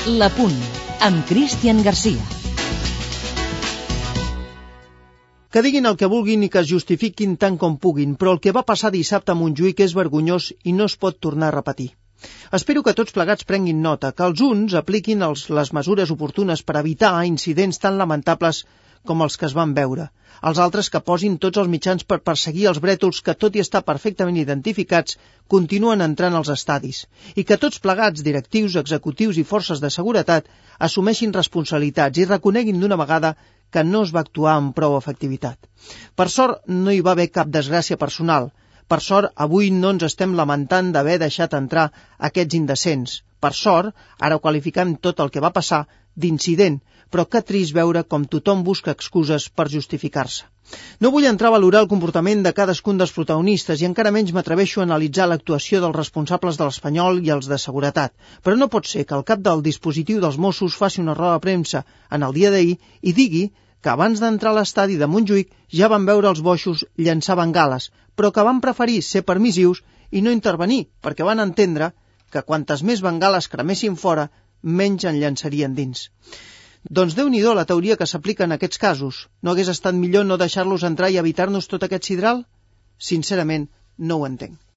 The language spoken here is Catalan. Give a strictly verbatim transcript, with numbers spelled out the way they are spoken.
La Punt, amb Cristian Garcia. Que diguin el que vulguin i que es justifiquin tant com puguin, però el que va passar dissabte a Montjuïc és vergonyós i no es pot tornar a repetir. Espero que tots plegats prenguin nota, que els uns apliquin els, les mesures oportunes per evitar incidents tan lamentables com els que es van veure. Els altres que posin tots els mitjans per perseguir els brètols que, tot i estar perfectament identificats, continuen entrant als estadis. I que tots plegats, directius, executius i forces de seguretat, assumeixin responsabilitats i reconeguin d'una vegada que no es va actuar amb prou efectivitat. Per sort, no hi va haver cap desgràcia personal. Per sort, avui no ens estem lamentant d'haver deixat entrar aquests indecents. Per sort, ara ho qualificem tot el que va passar d'incident, però que trist veure com tothom busca excuses per justificar-se. No vull entrar a valorar el comportament de cadascun dels protagonistes i encara menys m'atreveixo a analitzar l'actuació dels responsables de l'Espanyol i els de seguretat, però no pot ser que el cap del dispositiu dels Mossos faci una roda de premsa en el dia d'ahir i digui que abans d'entrar a l'estadi de Montjuïc ja van veure els boixos llançar bengales, però que van preferir ser permissius i no intervenir, perquè van entendre que quantes més bengales cremessin fora, menys en llançarien dins. Doncs Déu-n'hi-do la teoria que s'aplica en aquests casos. No hagués estat millor no deixar-los entrar i evitar-nos tot aquest sidral? Sincerament, no ho entenc.